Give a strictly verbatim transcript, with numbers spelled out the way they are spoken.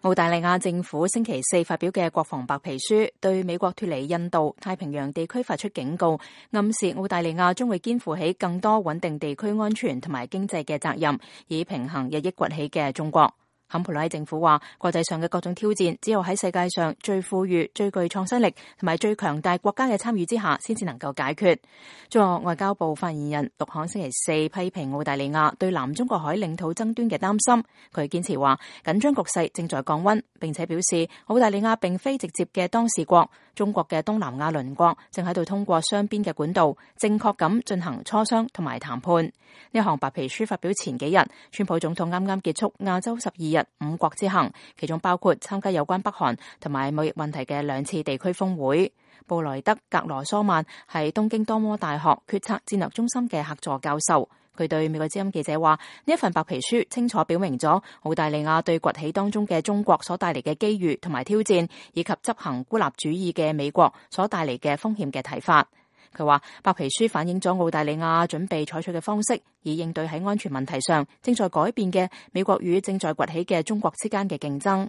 澳大利亞政府星期四發表嘅國防白皮書，對美國脫離印度太平洋地區發出警告，暗示澳大利亞將會肩負起更多穩定地區安全同埋經濟嘅責任，以平衡日益崛起嘅中國。坎培拉政府話，國際上嘅各種挑戰，只有喺世界上最富裕、最具創新力同埋最強大國家嘅參與之下，先至能夠解決。中國外交部發言人陸慷星期四批評澳大利亞對南中國海領土爭端嘅擔心，佢堅持話緊張局勢正在降溫，並且表示澳大利亞並非直接嘅當事國，中國嘅東南亞鄰國正喺度通過雙邊嘅管道，正確咁進行磋商同埋談判。呢項白皮書發表前幾日，川普總統啱啱結束亞洲十二日五國之行，其中包括參加有關北韓同埋貿易問題嘅兩次地區峰會。布萊德·格羅蘇曼係東京多摩大學決策戰略中心嘅客座教授，佢對美國之音記者話：呢一份白皮書清楚表明咗澳大利亞對崛起當中嘅中國所帶嚟嘅機遇同埋挑戰，以及執行孤立主義嘅美國所帶嚟嘅風險嘅睇法。佢話白皮書反映咗澳大利亞準備採取嘅方式，以應對喺安全問題上正在改變嘅美國與正在崛起嘅中國之間嘅競爭。